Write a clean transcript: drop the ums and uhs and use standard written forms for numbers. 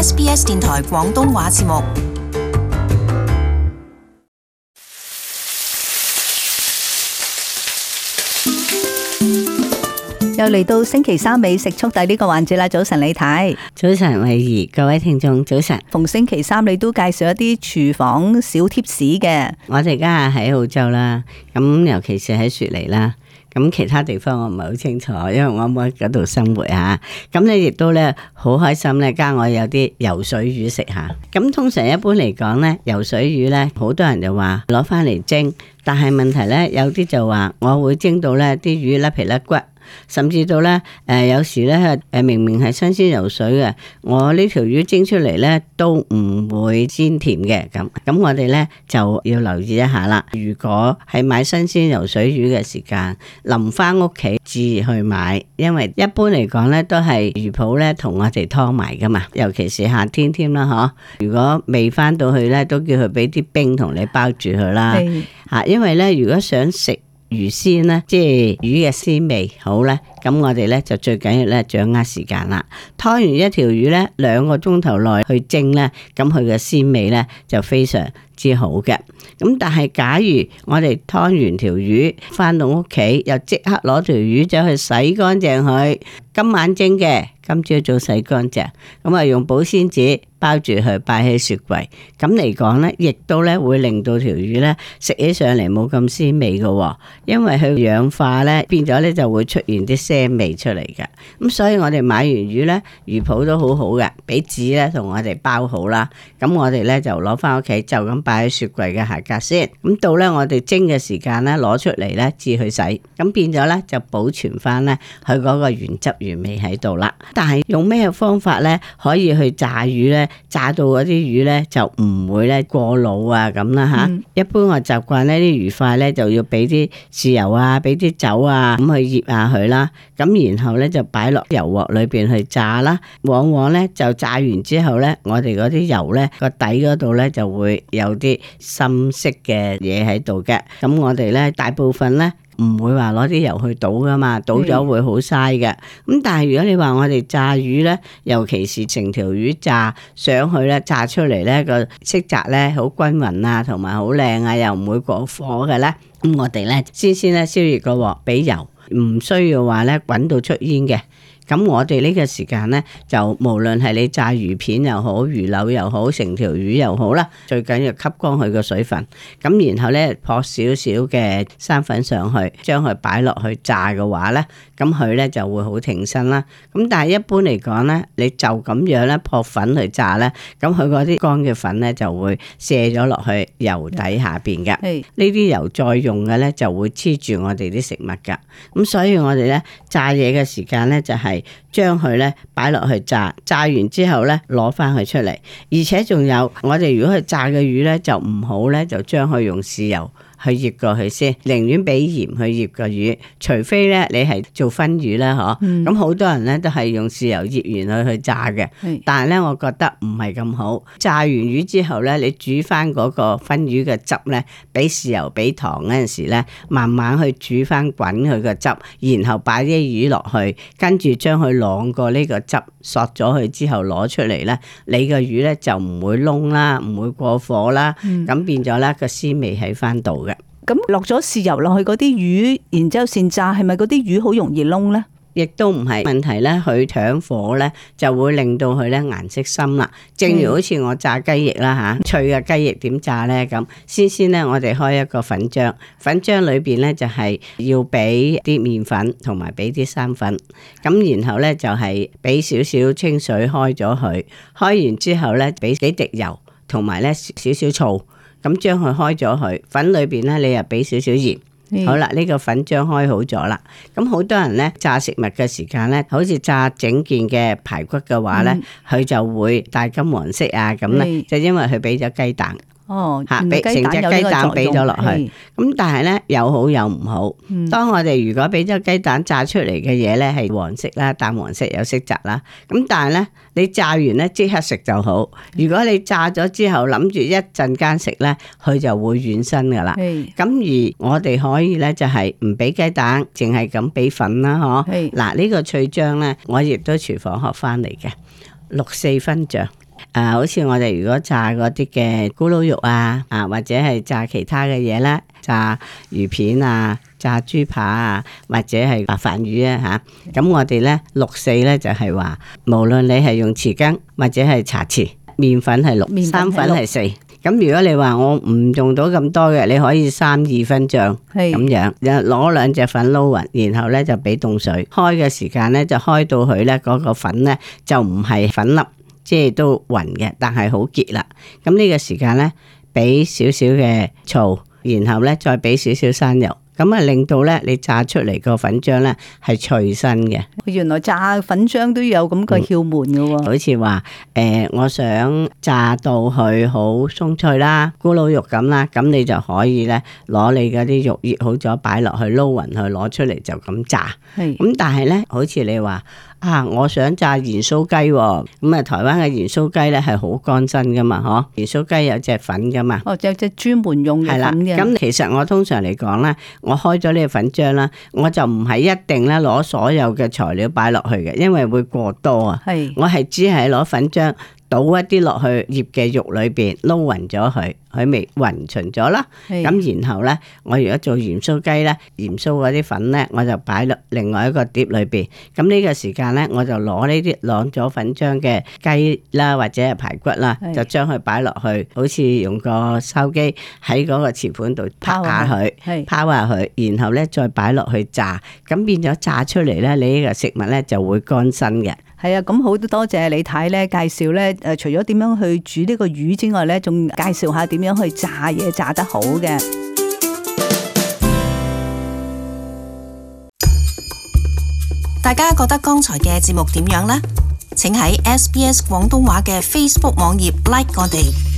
SBS 電台廣東話節目。又嚟到星期三美食速遞呢個環節啦！早晨李太，早晨慧儀，各位聽眾早晨。逢星期三你都介紹一啲廚房小貼士嘅。我哋而家喺澳洲啦，咁尤其是喺雪梨啦，咁其他地方我唔係好清楚，因為我冇喺嗰度生活吓。咁你亦都咧好開心咧，加我有啲游水魚食下。咁通常一般嚟講咧，游水魚咧，好多人就話攞翻嚟蒸，但係問題咧，有啲就話我會蒸到咧啲魚甩皮甩骨。甚至到咧，有時咧，明明係新鮮游水嘅，我呢條魚蒸出嚟咧都唔會鮮甜嘅。咁我哋咧就要留意一下啦。如果係買新鮮游水魚嘅時間，臨翻屋企至去買，因為一般嚟講咧都係魚鋪咧同我哋劏埋噶嘛，尤其是夏天添啦，嗬。如果未翻到去咧，都叫佢俾啲冰同你包住佢啦。嚇，因為咧，如果想食魚鮮咧，即係魚嘅鮮味好咧，咁我哋咧就最緊要咧掌握時間啦。劏完一條魚咧，2個鐘頭內去蒸咧，咁佢嘅鮮味咧就非常之好嘅。咁但係假如我哋劏完條魚翻到屋企，又即刻攞條魚走去洗乾淨佢，今晚蒸嘅，今朝早洗乾淨，咁啊用保鮮紙包住佢，擺喺雪櫃。咁嚟講咧，亦都咧會令到條魚咧食起上嚟冇咁鮮味嘅，因為佢氧化咧變咗咧就會出現啲腥味出嚟嘅。咁所以我哋買完魚咧，魚鋪都好好嘅，俾紙咧同我哋包好啦。咁我哋咧就攞翻屋企，就咁擺喺雪櫃嘅下格先。咁到咧我哋蒸嘅時間咧，攞出嚟咧至去洗，咁變咗咧就保存翻咧佢嗰個原汁原味喺度啦。但係用咩方法咧可以去炸魚咧？炸到嗰啲魚咧就唔會咧過老啊咁啦吓。一般我習慣呢啲魚塊咧就要俾啲豉油啊，俾啲酒啊咁去醃下佢啦。咁然後咧就擺落油鑊裏邊去炸啦。往往咧就炸完之後咧，我哋嗰啲油咧個底嗰度咧就會有啲深色嘅嘢喺度嘅。咁我哋咧大部分咧唔會話攞啲油去倒噶嘛，倒咗會好嘥嘅。咁但係如果你話我哋炸魚咧，尤其是成條魚炸上去咧，炸出嚟咧個色澤咧好均勻啊，同埋好靚啊，又唔會過火嘅咧。咁我哋咧先咧燒熱個鑊，俾油，唔需要話咧滾到出煙嘅。咁我哋呢個時間咧，就無論係你炸魚片又好，魚柳又好，成條魚又好啦，最緊要吸乾佢個水分。咁然後咧撲少少嘅生粉上去，將佢擺落去炸嘅話咧，咁佢咧就會好挺身啦。咁但係一般嚟講咧，你就咁樣咧撲粉去炸咧，咁佢嗰啲乾嘅粉咧就會瀉咗落去油底下邊嘅。呢啲油再用嘅咧就會黐住我哋啲食物噶。咁所以我哋咧炸嘢嘅時間咧就係將佢咧擺落去炸，炸完之後咧攞翻佢出嚟，而且仲有我哋如果去炸嘅魚咧就唔好咧就將佢用豉油去醃過去先，寧願俾鹽去醃個魚，除非咧你係做燻魚啦，嗬。咁好多人咧都係用豉油醃完佢去炸嘅，但係咧我覺得唔係咁好。炸完魚之後咧，你煮翻嗰個燻魚嘅汁咧，俾豉油俾糖嗰陣時咧，慢慢去煮翻滾佢個汁，然後擺啲魚落去，跟住將佢晾過呢個汁，索咗佢之後攞出嚟咧，你個魚咧就唔會燶啦，唔會過火啦，咁變咗咧個鮮味喺翻度嘅。咁落咗豉油落去嗰啲魚，然之後先炸，係咪嗰啲魚好容易燶咧？亦都唔係問題咧，佢搶火咧就會令到佢咧顏色深啦。正如好似我炸雞翼啦吓，脆嘅雞翼點炸咧咁？先咧，我哋開一個粉漿，粉漿裏邊咧就係要俾啲麵粉同埋俾啲生粉，咁然後咧就係俾少少清水開咗佢，開完之後咧俾幾滴油同埋咧少少醋。咁將佢開咗佢，粉裏邊咧你又俾少少鹽，好啦，呢個粉漿開好咗啦。咁好多人咧炸食物嘅時間咧，好似炸整件嘅排骨嘅話咧，佢就會帶金黃色啊咁咧，就因為佢俾咗雞蛋。吓，俾成隻雞蛋俾咗落去，咁但係咧有好有唔好。當我哋如果俾咗雞蛋炸出嚟嘅嘢咧係黃色啦，淡黃色有色澤啦，咁但係咧你炸完咧即刻食就好。如果你炸咗之後諗住一陣間食咧，佢就會軟身噶啦。咁而我哋可以咧就係唔俾雞蛋，淨係咁俾粉啦，嗬。嗱，呢個脆漿咧，我亦都廚房學翻嚟嘅，6-4分醬。好似我哋如果炸嗰啲嘅咕嚕肉啊，或者係炸其他嘅嘢啦，炸魚片啊，炸豬扒啊，或者係白飯魚啊吓，咁我哋咧6:4咧就係話，無論你係用匙羹或者係茶匙，麵粉係6，生粉係4。咁如果你話我唔用到咁多嘅，你可以3-2分醬咁樣，攞2隻粉撈勻，然後咧就俾凍水，開嘅時間咧就開到佢咧嗰個粉咧就唔係粉粒，即係都勻嘅，但係好結啦。咁呢個時間咧俾少少嘅醋，然後咧再俾少少生油。咁啊，令到咧你炸出嚟個粉漿咧係脆身嘅。原來炸粉漿都有咁個竅門嘅喎。好似話我想炸到佢好鬆脆啦，咕嚕肉咁啦，咁你就可以咧攞你嗰啲肉醃好咗擺落去撈勻佢，攞出嚟就咁炸。咁但係咧，好似你話我想炸鹽酥雞喎，咁啊台灣嘅鹽酥雞咧係好乾身噶嘛，鹽酥雞有隻粉噶嘛。有隻專門用嘅粉嘅。咁其實我通常嚟講咧，我開咗呢個粉漿啦，我就唔係一定咧攞所有嘅材料擺落去嘅，因為會過多啊。我係只係攞粉漿倒一啲落去醃嘅肉裏邊撈勻咗佢，佢咪勻勻咗啦。咁然後咧，我如果做鹽酥雞咧，鹽酥嗰啲粉咧，我就擺落另外一個碟裏邊。咁呢個時間咧，我就攞呢啲晾咗粉漿嘅雞啦，或者係排骨啦，就將佢擺落去，好似用個筲箕喺嗰個瓷盤度拋下佢，拋下佢，然後咧再擺落去炸，咁變咗炸出嚟咧，你呢個食物咧就會乾身嘅。係啊，咁好多謝李太咧介紹咧，除咗點樣去煮呢個魚之外咧，仲介紹下點樣去炸嘢炸得好嘅。大家覺得剛才嘅節目點樣呢？請喺SBS 廣東話嘅 Facebook 網頁 like 我哋。